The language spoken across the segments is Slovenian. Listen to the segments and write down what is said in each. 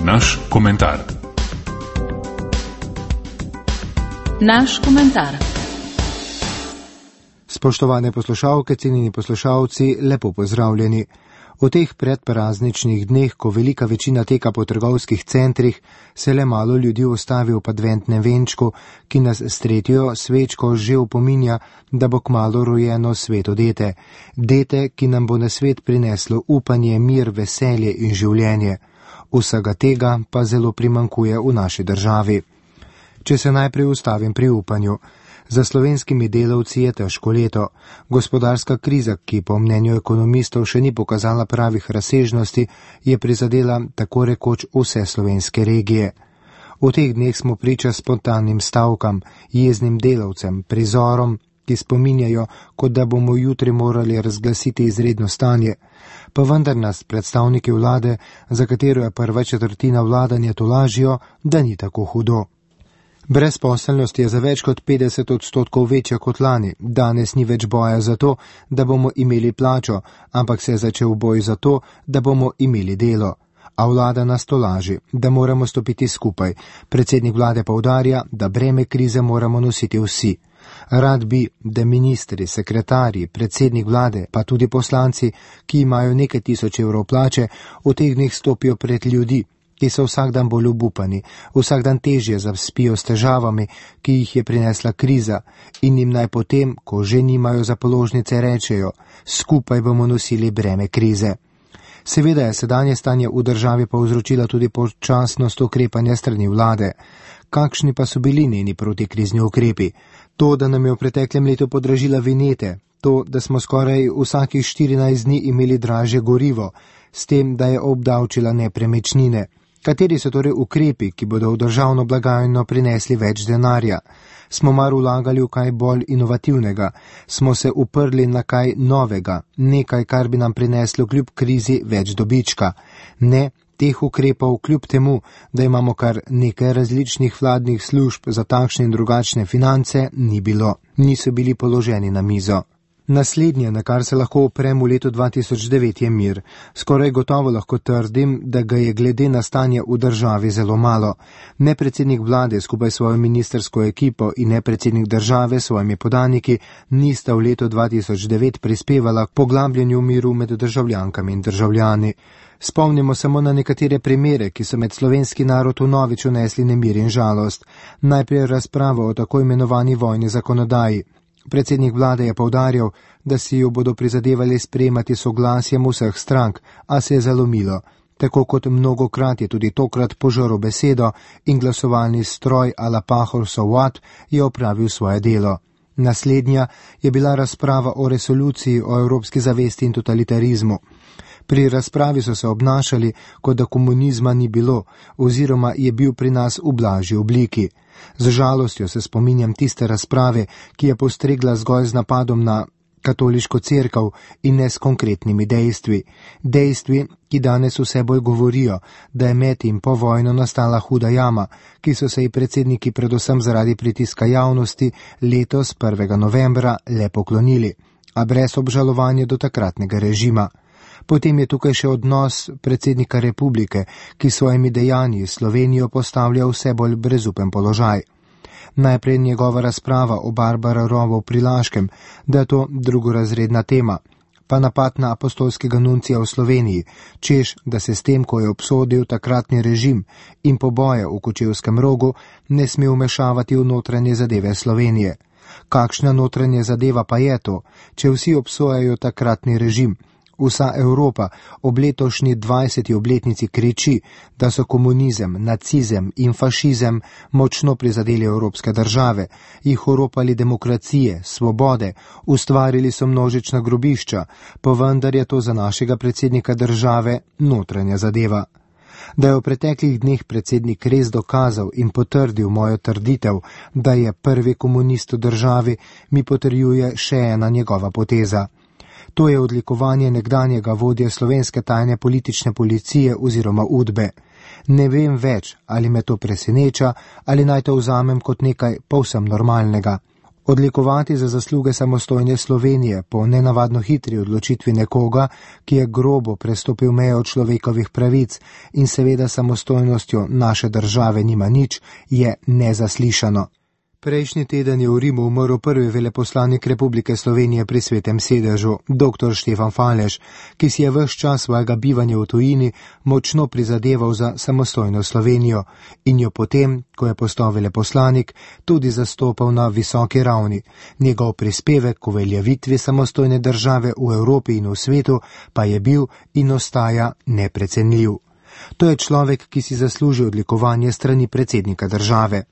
Naš komentar. Naš komentar. Spoštovane poslušalke, cenjeni poslušalci, lepo pozdravljeni. V teh predprazničnih dneh, ko velika večina teka po trgovskih centrih, se le malo ljudi ustavi v adventnem venčku, ki nas s tretjo svečko že opominja, da bo kmalu rojeno sveto dete. Dete, ki nam bo na svet prineslo upanje, mir, veselje in življenje. Vsega tega pa zelo primanjkuje v naši državi. Če se najprej ustavim pri upanju. Za slovenskimi delavci je težko leto. Gospodarska kriza, ki po mnenju ekonomistov še ni pokazala pravih razsežnosti, je prizadela tako rekoč vse slovenske regije. V teh dneh smo priča spontanim stavkam, jeznim delavcem, prizorom, ki spominjajo, kot da bomo jutri morali razglasiti izredno stanje. Pa vendar nas predstavniki vlade, za katero je prva četrtina vladanja, tolažijo, da ni tako hudo. Brezposelnost je za več kot 50% večja kot lani. Danes ni več boja za to, da bomo imeli plačo, ampak se je začel boj za to, da bomo imeli delo. A vlada nas tolaži, da moramo stopiti skupaj. Predsednik vlade poudarja, da breme krize moramo nositi vsi. Rad bi, da ministri, sekretarji, predsednik vlade, pa tudi poslanci, ki imajo nekaj tisoč evrov plače, v teh dneh stopijo pred ljudi, ki so vsak dan bolj obupani, vsak dan težje zaspijo s težavami, ki jih je prinesla kriza, in jim naj potem, ko že nimajo za položnice, rečejo, skupaj bomo nosili breme krize. Seveda je sedanje stanje v državi povzročila tudi počasnost ukrepanja strani vlade. Kakšni pa so bili njeni protikrizni ukrepi? To, da nam je v preteklem letu podražila vinjete, to, da smo skoraj vsakih 14 dni imeli dražje gorivo, s tem, da je obdavčila nepremičnine. Kateri so torej ukrepi, ki bodo v državno blagajno prinesli več denarja? Smo mar vlagali v kaj bolj inovativnega? Smo se uprli na kaj novega, nekaj, kar bi nam prineslo kljub krizi več dobička? Ne, teh ukrepov kljub temu, da imamo kar nekaj različnih vladnih služb za takšne in drugačne finance, ni bilo. Niso bili položeni na mizo. Naslednje, na kar se lahko oprem v letu 2009, je mir. Skoraj gotovo lahko trdim, da ga je glede na stanje v državi zelo malo. Ne predsednik vlade skupaj s svojo ministersko ekipo in ne predsednik države s svojimi podaniki nista v letu 2009 prispevala k poglabljanju miru med državljankami in državljani. Spomnimo samo na nekatere primere, ki so med slovenski narod vnovič unesli nemir in žalost. Najprej razprava o tako imenovani vojni zakonodaji. Predsednik vlade je poudarjal, da si jo bodo prizadevali sprejemati soglasjem vseh strank, a se je zalomilo. Tako kot mnogokrat je tudi tokrat požrl besedo in glasovalni stroj a la Pahor so what je opravil svoje delo. Naslednja je bila razprava o resoluciji o evropski zavesti in totalitarizmu. Pri razpravi so se obnašali, kot da komunizma ni bilo, oziroma je bil pri nas v blažji obliki. Z žalostjo se spominjam tiste razprave, ki je postregla zgolj z napadom na katoliško cerkev in ne s konkretnimi dejstvi. Dejstvi, ki danes vse bolj govorijo, da je med in po vojno nastala huda jama, ki so se ji predsedniki predvsem zaradi pritiska javnosti letos 1. novembra le poklonili, a brez obžalovanja do takratnega režima. Potem je tukaj še odnos predsednika republike, ki svojimi dejanji Slovenijo postavlja vse bolj brezupen položaj. Najprej njegova razprava o Barbara Rovu pri Laškem, da je to drugorazredna tema, pa napad na apostolskega nuncija v Sloveniji, češ, da se s tem, ko je obsodil takratni režim in poboje v Kočevskem Rogu, ne sme vmešavati v notranje zadeve Slovenije. Kakšna notranje zadeva pa je to, če vsi obsojajo takratni režim? Vsa Evropa ob letošnji 20. obletnici kriči, da so komunizem, nacizem in fašizem močno prizadeli evropske države, jih oropali demokracije, svobode, ustvarili so množična grobišča, pa vendar je to za našega predsednika države notranja zadeva. Da je v preteklih dneh predsednik res dokazal in potrdil mojo trditev, da je prvi komunist v državi, mi potrjuje še ena njegova poteza. To je odlikovanje nekdanjega vodje slovenske tajne politične policije oziroma UDBE. Ne vem več, ali me to preseneča, ali naj to vzamem kot nekaj povsem normalnega. Odlikovati za zasluge samostojne Slovenije po nenavadno hitri odločitvi nekoga, ki je grobo prestopil mejo človekovih pravic in seveda samostojnostjo naše države nima nič, je nezaslišano. Prejšnji teden je v Rimu umrl prvi veleposlanik Republike Slovenije pri Svetem sedežu, dr. Štefan Falež, ki si je ves čas svojega bivanja v tujini močno prizadeval za samostojno Slovenijo in jo potem, ko je postal veleposlanik, tudi zastopal na visoki ravni. Njegov prispevek k uveljavitvi samostojne države v Evropi in v svetu pa je bil in ostaja neprecenljiv. To je človek, ki si zasluži odlikovanje strani predsednika države.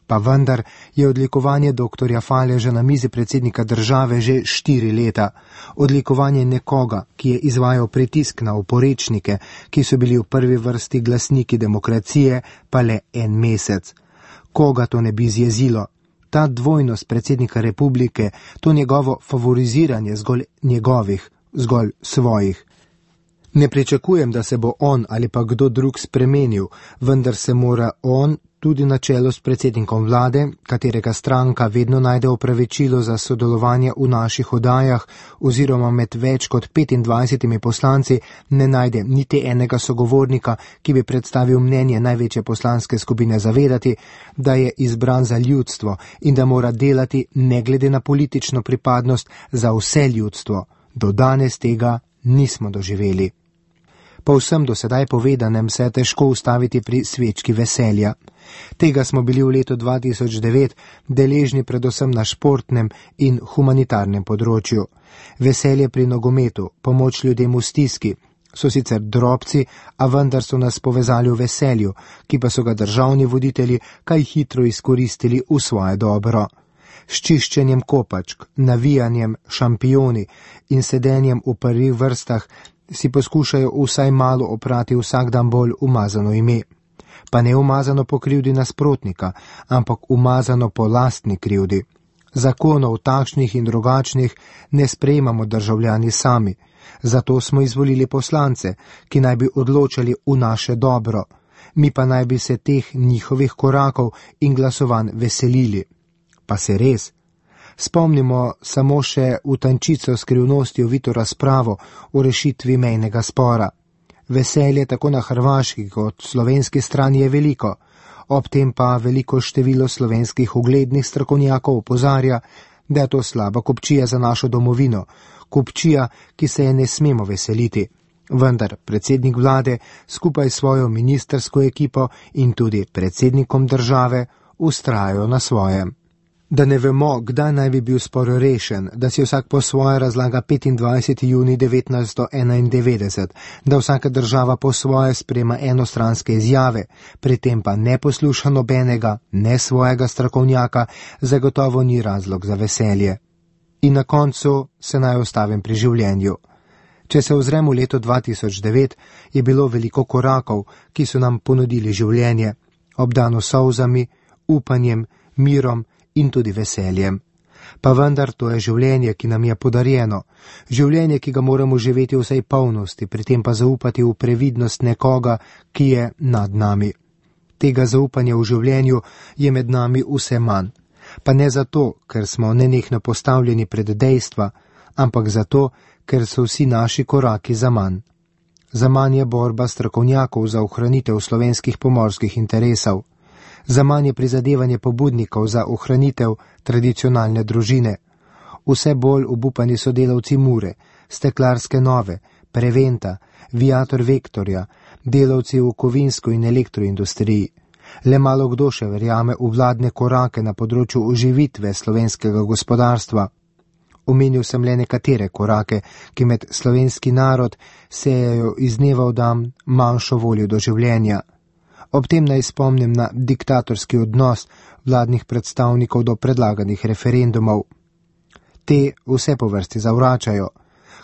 Pa vendar je odlikovanje dr. Faleža na mizi predsednika države že 4 leta. Odlikovanje nekoga, ki je izvajal pritisk na oporečnike, ki so bili v prvi vrsti glasniki demokracije, pa le 1 mesec. Koga to ne bi zjezilo? Ta dvojnost predsednika republike, to njegovo favoriziranje zgolj njegovih, zgolj svojih. Ne pričakujem, da se bo on ali pa kdo drug spremenil, vendar se mora on tudi na čelu s predsednikom vlade, katerega stranka vedno najde opravičilo za sodelovanje v naših oddajah oziroma med več kot 25 poslanci ne najde niti enega sogovornika, ki bi predstavil mnenje največje poslanske skupine, zavedati, da je izbran za ljudstvo in da mora delati ne glede na politično pripadnost za vse ljudstvo. Do danes tega nismo doživeli. Po vsem do sedaj povedanem se je težko ustaviti pri svečki veselja. Tega smo bili v letu 2009 deležni predvsem na športnem in humanitarnem področju. Veselje pri nogometu, pomoč ljudem v stiski, so sicer drobci, a vendar so nas povezali v veselju, ki pa so ga državni voditelji kaj hitro izkoristili v svoje dobro. S čiščenjem kopačk, navijanjem, šampioni in sedenjem v prvih vrstah si poskušajo vsaj malo oprati vsak dan bolj umazano ime. Pa ne umazano po krivdi nasprotnika, ampak umazano po lastni krivdi. Zakonov takšnih in drugačnih ne sprejemamo državljani sami, zato smo izvolili poslance, ki naj bi odločali v naše dobro, mi pa naj bi se teh njihovih korakov in glasovanj veselili. Pa se res? Spomnimo samo še v tančico skrivnosti ovito razpravo o rešitvi mejnega spora. Veselje tako na hrvaški kot slovenski strani je veliko, ob tem pa veliko število slovenskih uglednih strokovnjakov opozarja, da je to slaba kupčija za našo domovino, kupčija, ki se je ne smemo veseliti. Vendar predsednik vlade skupaj s svojo ministrsko ekipo in tudi predsednikom države vztrajajo na svojem. Da ne vemo, kdaj naj bi bil spor rešen, da si vsak po svoje razlaga 25. juni 1991, da vsaka država po svoje sprema enostranske izjave, pri tem pa ne posluša nobenega, ne svojega strokovnjaka, zagotovo ni razlog za veselje. In na koncu se naj ostavim pri življenju. Če se ozremo v leto 2009, je bilo veliko korakov, ki so nam ponudili življenje, obdano solzami, upanjem, mirom in tudi veseljem. Pa vendar to je življenje, ki nam je podarjeno, življenje, ki ga moramo živeti v vsej polnosti, pri tem pa zaupati v previdnost nekoga, ki je nad nami. Tega zaupanja v življenju je med nami vse manj. Pa ne zato, ker smo nenehno postavljeni pred dejstva, ampak zato, ker so vsi naši koraki za manj. Za manj je borba strokovnjakov za ohranitev slovenskih pomorskih interesov. Za manj je prizadevanje pobudnikov za ohranitev tradicionalne družine. Vse bolj obupani so delavci Mure, Steklarske Nove, Preventa, Viator Vektorja, delavci v kovinsko in elektroindustriji. Le malo kdo še verjame v vladne korake na področju oživitve slovenskega gospodarstva. Omenil sem le nekatere korake, ki med slovenski narod sejajo iz dneva v dan manjšo voljo do življenja. Ob tem naj spomnim na diktatorski odnos vladnih predstavnikov do predlaganih referendumov. Te vse po vrsti zavračajo.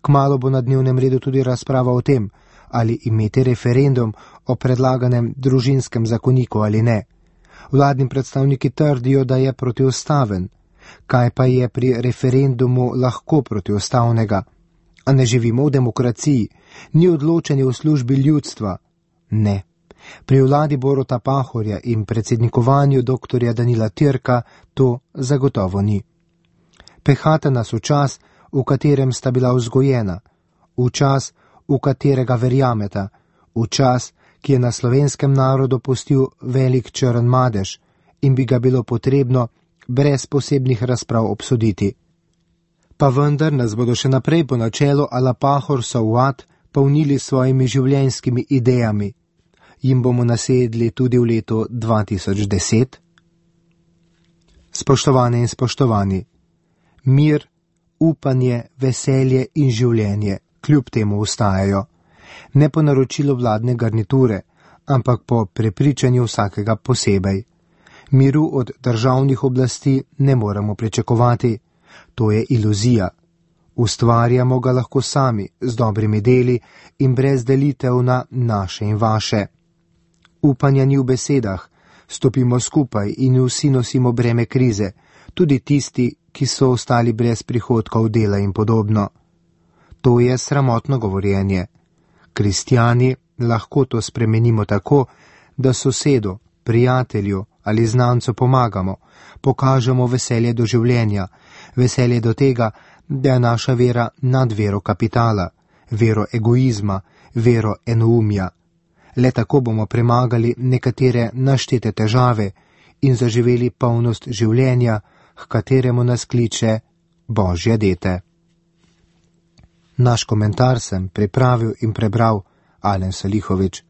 Kmalu bo na dnevnem redu tudi razprava o tem, ali imeti referendum o predlaganem družinskem zakoniku ali ne. Vladni predstavniki trdijo, da je protiustaven. Kaj pa je pri referendumu lahko protiustavnega? A ne živimo v demokraciji? Ni odločanje v službi ljudstva? Ne. Pri vladi Boruta Pahorja in predsednikovanju dr. Danila Türka to zagotovo ni. Pehata nas v čas, v katerem sta bila vzgojena, v čas, v katerega verjameta, v čas, ki je na slovenskem narodu pustil velik črn madež in bi ga bilo potrebno brez posebnih razprav obsoditi. Pa vendar nas bodo še naprej po načelu ala pahor sauat polnili svojimi življenjskimi idejami. Jim bomo nasedli tudi v letu 2010? Spoštovane in spoštovani, mir, upanje, veselje in življenje kljub temu ostajajo. Ne po naročilu vladne garniture, ampak po prepričanju vsakega posebej. Miru od državnih oblasti ne moremo pričakovati. To je iluzija. Ustvarjamo ga lahko sami, z dobrimi deli in brez delitev na naše in vaše. Upanja ni v besedah, stopimo skupaj in vsi nosimo breme krize, tudi tisti, ki so ostali brez prihodkov dela in podobno. To je sramotno govorjenje. Kristjani lahko to spremenimo tako, da sosedu, prijatelju ali znancu pomagamo, pokažemo veselje do življenja, veselje do tega, da je naša vera nad vero kapitala, vero egoizma, vero enoumja. Le tako bomo premagali nekatere naštete težave in zaživeli polnost življenja, h kateremu nas kliče Božje dete. Naš komentar sem pripravil in prebral Alen Salihovič.